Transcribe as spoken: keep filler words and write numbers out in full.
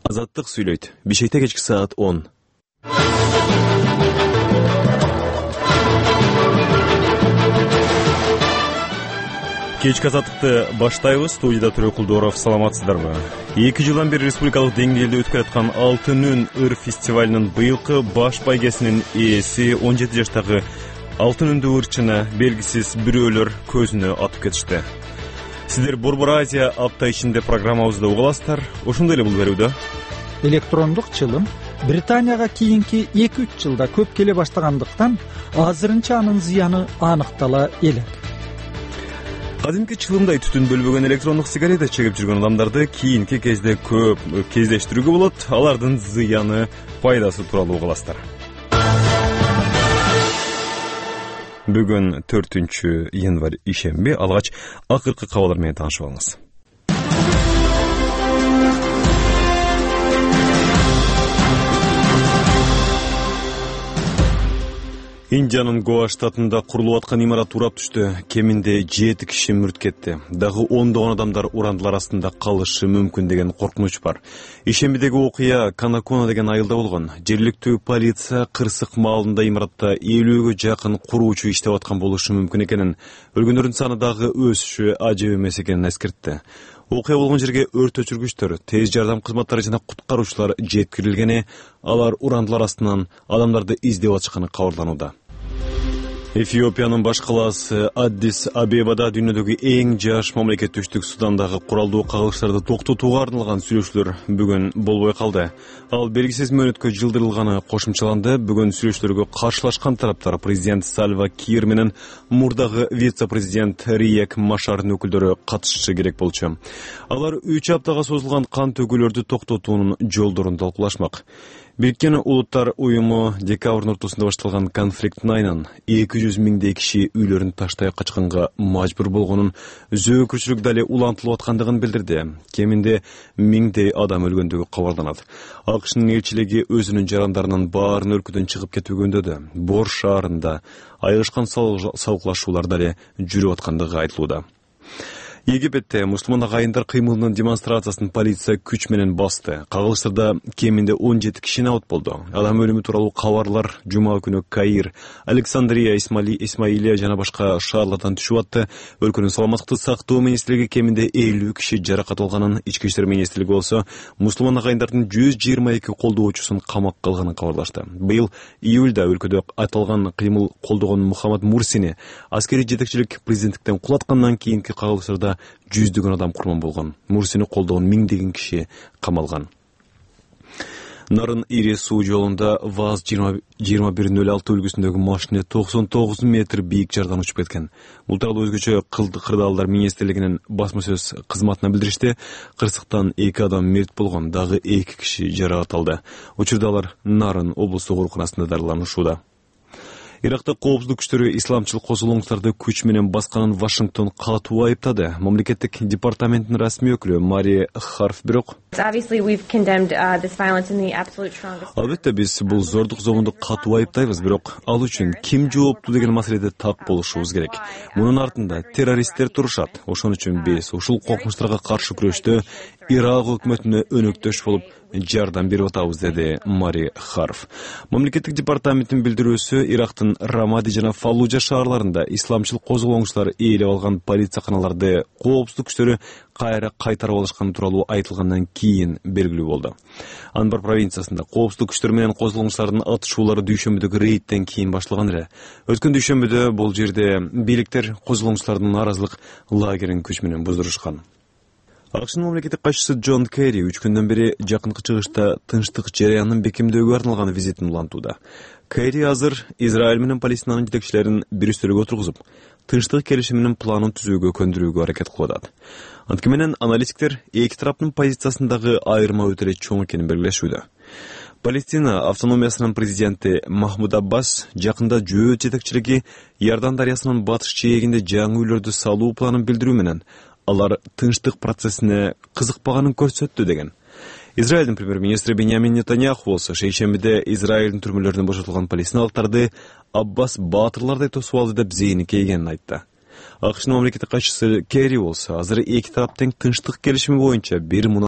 Азаттык сүйлөйт. Бишкекте кечки саат он. Кечки азаттыкты баштайбыз. Студияда Төрөкулдоров. Саламатсыздарбы? эки жылдан бери республикалык деңгээлде өтүп келаткан Алтын үн ыр фестивалынын быйылкы баш байгесинин ээси он жети жаштагы Алтын үндү ырчыны белгисиз бирөөлөр көзүнө атып кетишти. Сиздер Борбор Азия апта ичинде программабызда угаласыздар. Ошондой эле бул берүүдө электрондук чылым Британияга кийинки эки үч жылда көп келе баштагандыктан азырынча анын зыяны аныктала элек. Кадимки чылымдай түтүн бөлбөгөн электрондук сигарета чегип жүргөн адамдарды кийинки кезде көп кездештирүүгө болот. Алардын зыяны, пайдасы тууралуу угаласыздар. Бүгүн төртүнчү январь ишемби. Алгач акыркы кабарлар менен таанышып алыңыз. Индиянын Гоа штатында курулуп аткан имарат урап түштү. Кеминде жети киши мүрт кетти. Дагы ондогон адамдар урандылар астында калышы мүмкүн деген коркунуч бар. Ишембидеги окуя Канакона деген айылда болгон. Жергиликтүү полиция кырсык маалында имаратта элүүгө жакын куруучу иштеп аткан болушу мүмкүн экенин, өлгөндөрдүн саны дагы өсүшү ажып эмес экенин эскертти. Окуя болгон жерге өрт өчүргүчтөр, тез жардам кызматтары жана куткаруучулар жеткирилгени, алар урандылар астынан адамдарды издеп атышканы кабарланууда. Эфиопиянын баш калаасы Аддис Абебада дүйнөдөгү эң жаш мамлекет түштүк Судандагы куралдуу кагылыштарды токтотууга арналган сүйлөшүүлөр бүгүн болбой калды. Ал белгисиз мөөнөткө жылдырылганы кошумчаланды. Бүгүн сүйлөшүүлөргө каршылашкан тараптар президент Сальва Кир менен мурдагы вице-президент Риек Машардын өкүлдөрү катышышы керек болчу. Алар үч аптага созулган кан төгүүлөрдү токтотуунун жолдорун талкуулашмак. Бириккен Улуттар уюму декабрдын ортосунда башталган конфликттин айынан эки жүз миңдей киши үйлөрүн таштай качканга мажбур болгонун, зөөкүрчүлүк дале улантылып аткандыгын билдирди. Кеминде миңдей адам өлгөндүгү кабарланат. АКШнын элчилиги өзүнүн жарандарынын баарын өлкөдөн чыгып кетүүгө үндөдү. Бор шаарында айгышкан салгылашуулар дале жүрүп аткандыгы айтылууда. Египетте мусулман агайындар кыймылынын демонстрациясын полиция күч менен басты. Кагылыштарда кеминде он жети киши абат болду. Адам өлүмү тууралуу кабарлар жума күнү Каир, Александрия, Исмаилия жана башка шаарлардан түшүп атты. Өлкөнүн саламаттыкты сактоо министрлиги кеминде элүү киши жаракат алганын, ички иштер министрлиги болсо мусулман агайындардын жүз жыйырма эки колдоочусун камакка алганын кабарлашты. Быйыл июлда өлкөдө аталган кыймыл колдогон Мухаммад Мурсини аскерий жетекчилик президенттиктен кулаткандан кийинки кагылыштарда жүздөгөн адам курман болгон. Мурсини колдогон миңдеген киши камалган. Нарын ири суу жолунда ВАЗ жыйырма бир нөл алты үлгүсүндөгү машина токсон тогуз метр бийик жардан учуп кеткен. Бул тууралуу өзгөчө кырдаалдар министрлигинин басма сөз кызматына билдиришти. Кырсыктан эки адам мерт болгон, дагы эки киши жаракат алды. Учурда алар Нарын облустук ооруканасында дарыланышууда. Иракта коопсуздук күчтөрү исламчыл козголоңуштарды күч менен басканын Вашингтон катуу айыптады. Мамлекеттик департаменттин расмий өкүлү Мария Харф бирок албетте биз бул зордук зомунду катуу айыптайбыз, бирок ал үчүн ким жооптуу деген маселеде так болушубуз керек. Мунун артында террористтер турушат. Ошон үчүн биз ушул коркунучтарга каршы күрөштө Ирак өкмөтүнө өнөктөш болуп жардам берип атабыз, деди Мари Харф. Мамлекеттик департаменттин билдирүүсү Ирактын Рамади жана Фаллужа шаарларында исламчыл козголоңчулар ээлеп алган полицияканаларды коопсуздук күчтөрү кайра кайтарып алышканы тууралуу айтылгандан кийин белгилүү болду. Анбар провинциясында коопсуздук күчтөр менен козголоңчулардын атышуулары дүйшөмбүдөгү рейдтен кийин башталган эле. Өткөн дүйшөмбүдө бул жерде бийликтер козголоңчулардын наразылык лагерин күч менен буздурушкан. АКШнын мамлекеттик катчысы Джон Керри үч күндөн бери жакынкы чыгышта тынчтык жараянын бекемдөөгө арналган визитин улантууда. Керри азыр Израиль менен Палестинанын жетекчилерин бир үстөлгө отургузуп, тынчтык келишиминин планын түзүүгө көндүрүүгө аракет кылып атат. Анткени менен аналитиктер эки тараптын позициясындагы айырма өтө эле чоң экенин белгилешүүдө. Палестина автономиясынын президенти Махмуд Аббас жакында жөөт жетекчилиги Иордан дарыясынын батыш жээгинде жаңы үйлөрдү салуу планын билдирүү менен алар тынчтык процессине кызыкпаганын көрсөттү деген. Израилдин премьер-министри Беньямин Нетаньяху болсо шейшембиде Израилдин түрмөлөрүнөн бошотулган палестиналыктарды Аббас баатырлардай тосуп алды деп зээни кейгенин айтты. АКШнын мамлекеттик катчысы Керри болсо азыр эки тараптын тынчтык келишими боюнча бир